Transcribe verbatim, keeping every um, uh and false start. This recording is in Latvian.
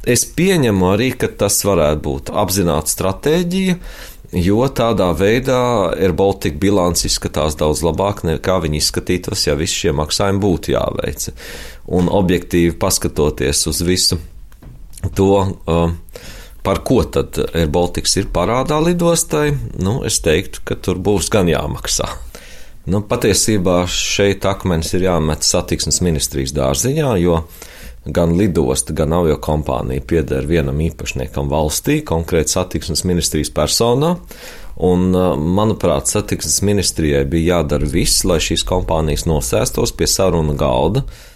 Es pieņemu arī, ka tas varētu būt apzināta stratēģija, jo tādā veidā Air Baltica bilants izskatās daudz labāk nekā viņi izskatītos, ja visi šie maksājumi būtu jāveic. Un objektīvi paskatoties uz visu to, par ko tad Air Baltica ir parādā lidostai, nu, es teiktu, ka tur būs gan jāmaksā. Nu, patiesībā šeit akmenis ir jāmet satiksmes ministrijas dārziņā, jo gan lidosta, gan aviokompānija pieder vienam īpašniekam valstī, konkrēti satiksmes ministrijas personā, un, manuprāt, satiksmes ministrijai bija jādara viss, lai šīs kompānijas nosēstos pie saruna galda,